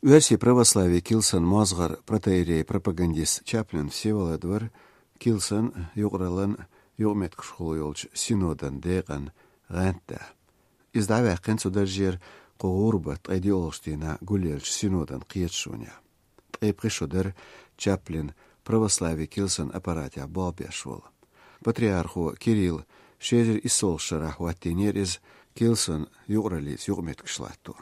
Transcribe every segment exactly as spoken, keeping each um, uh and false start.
Оьрсийн православийн килсан мозгӀара протоиерей-пропагандист Чаплин Всеволод вар килсан, юкъараллан юкъаметтигашхула йолчу синодан декъан гӀантда. Иза дӀаваьккхина цу даржера кху гӀуран баттан ткъе диъалгӀачу дийнахь гулъеллачу синодан кхеташонехь. Ткъе пхи шо дара Чаплин православийн килсан аппаратехь болх беш волу. Патриархо Кирилл ши эзар иссалгӀачу шарахь хӀоттийнера иза килсан юкъараллица юкъаметтигаш латто.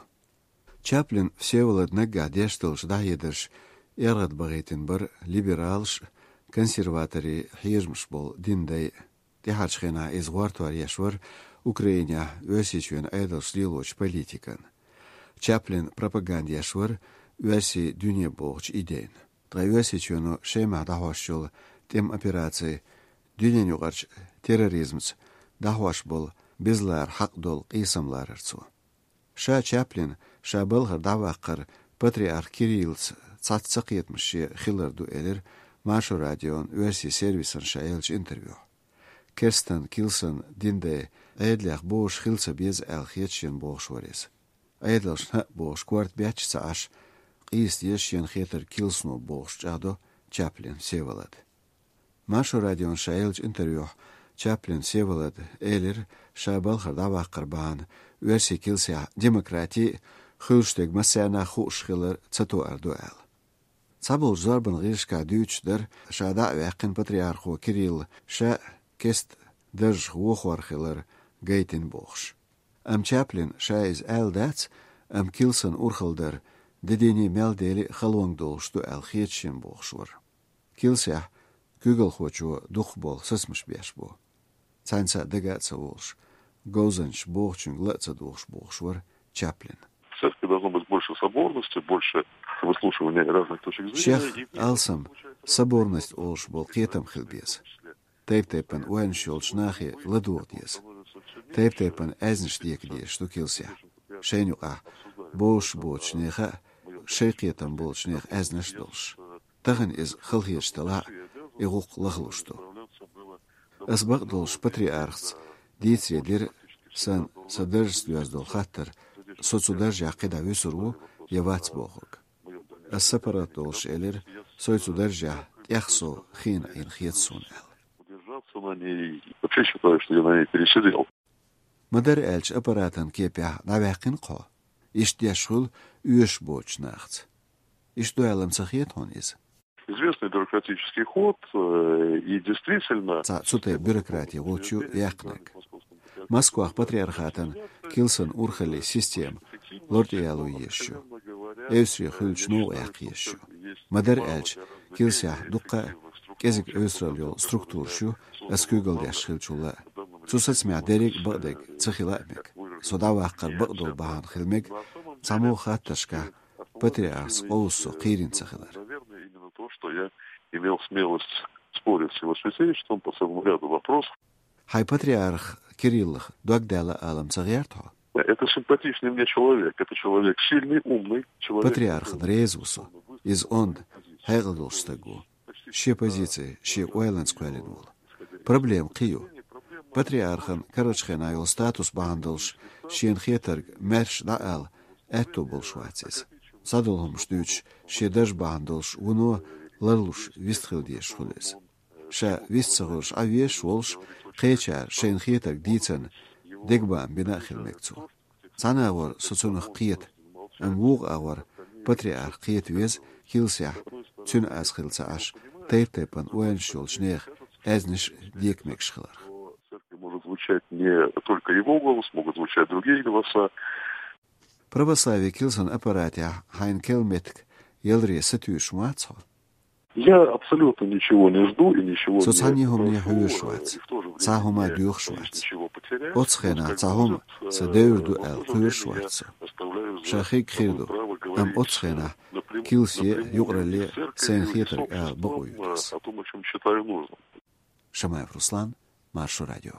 Чаплин Всеволода наггахь деш долчу дӀахьедарша эргӀадбахийтина бара либералаш а, консерваторийн хьежамаш болу динан дай а. ТӀаьхьарчу хенахь иза гӀортор еш вара Украинехь Оьрсийчоьнан Ӏедалша лелочу политикана. Чаплин пропаганда еш вара оьрсийн дуьне бохучу идейна. Ткъа Оьрсийчоьно Шемахь дӀахьош йолу тӀеман операци дуьненаюкъарчу терроризмца дӀахьош болу безалара хьакъ долу къийсам ларара цо. Ша Чаплин ша балхара дӀаваккхар патриарх Кириллца цхьацца ца кхетамаш шен хилар ду, элира Маршо радион оьрсийн сервисан ша еллачу интервьюхь. Керстан килсан динан дай Ӏедалех божуш хила ца беза аьлла хета шена бохуш вара иза. Ӏедалшна хӀаъ бохуш корта бетташ ца Ӏаш, къийса деза шена хетарг килсано бохуш чӀагӀдо Чаплин Всеволод. Маршо радион ша еллачу интервьюхь Чаплин Всеволода элира, ша балхара дӀаваккхар бахьана оьрсийн килсехь демократи а, хуьлуш дерг массарна а хууш хилар ца тоар ду аьлла. Цхьаболчу зорбанан гӀирсашкахь дуьйцуш дара, ша дӀа а ваьккхина патриархо Кирилла ша а керста даржах вохор хилар гайтина бохуш. Амма Чаплина ша иза аьлла дац, амма килсан урхалла дар де дийне мел дели а халонга долуш ду аьлла хета шена бохуш вара. Килсехь куьйгалхочо дукхахболу сацамаш беш бу. Цхьаьнца а дага а ца волуш, говзанчаша бохучуьнга ла а ца дугӀуш бохуш вара Чаплин. В церкви должно быть больше соборности, больше выслушивания разных точек зрения. Шех алсам соборность олуш болу кхетам хила беза. Тайп-тайпана ойланаш йолчу нахе ладогӀа деза. Тайп-тайпана аьзнаш дека дезаш ду килсехь. Шайна юкъахь бозуш боцучу нехан а, шайн кхетам болчу нехан аьзнаш а долуш. Тахана иза халахеташ делахь а, и гӀуллакх лахлуш ду. Ас бакъдолуш патриархца дийцаре дира сан, сан даржаца доьзна долу хаттар, со цу даржехь кхидӀа вуьсур ву я вац бохург. Ас сапаргӀат долуш элира, со цу даржехь тӀех сов хиъна Ӏийна хета суна аьлла. Удержаться на ней. Вообще считаю, что я на ней пересидел. Ма-дарра аьлча аппаратан кепехь дӀаваьккхина-кх хьо. Иштта деш хуьлу оьшуш боцучу нахаца. Иштта ду аьлла-м ца хета хьуна иза? Известный бюрократический ход, э, и действительно... Цхьа цу тайпа бюрократин гӀулч ю яьккхинарг. Москвахь патриархатан килсан урхаллин система лартӀе яло езаш ю. Эвсаре хуьлучу новкъа яккха езаш ю. Ма-дарра аьлча, килсехь дуккха а кӀезиг эвсаралла йолу структураш ю, ас куьйгалла деш хиллачул а. Цу сацамехь дерриг а бакъдерг ца хила а мега. Со дӀаваккхар бакъдолу бахьана хила мега цхьамогӀа хаттаршкахь патриархца къовса со кхийрина ца хилар. Наверное, именно то, что я имел смелость спорить с его святейшеством по целому ряду вопросов. Хьайн патриарх Кириллах дог даьлла ала-м ца гӀерта хьо? Это симпатичный мне человек. Это человек сильный, умный, человек... Патриархана реза ву со. Иза онда, хьекъал долуш стаг ву. Шен позици, шен ойланца кхоьллина волу. Проблема кхин ю. Патриархан карарчу хенахь йолу статус бахьана долуш шена хетарг маьрша дӀаала аьтто болуш вац иза. Схьадолу хӀуманаш дуьйцуш, шен дарж бахьана долуш вуно ларлуш вистхила дезаш хуьлу иза. Ша вист ца хуьлуш Ӏан везаш волуш, кхечара шайна хетарг дийцарна дегабаам бина а хила мега цо. Цхьана агӀор со цунах кхета, амма вукху агӀор патриарх кхета веза килсехь, цуьнан аз хилла ца Ӏаш, тайп-тайпана ойланаш йолчу нехан аьзнаш а дека мегаш хиларх. В церкви может звучать не только его голос, могут звучать другие голоса. Православие килсан аппаратехь хьайна кел меттиг яларе сатуьйсуш ма вац хьо? Я абсолютно ничего не жду и ничего не прошу, и в то же время не хочу ничего потерять. Цхьа хӀума доьхуш вац. Оцу хенахь цхьа хӀума сан девр ду аьлла кхоьруш вац со. Ша хиг хир ду, амма оцу хенахь килсе а, юкъаралле а сайна хетарг ала бакъо ю ас. Шамаев Руслан, Маршо радио.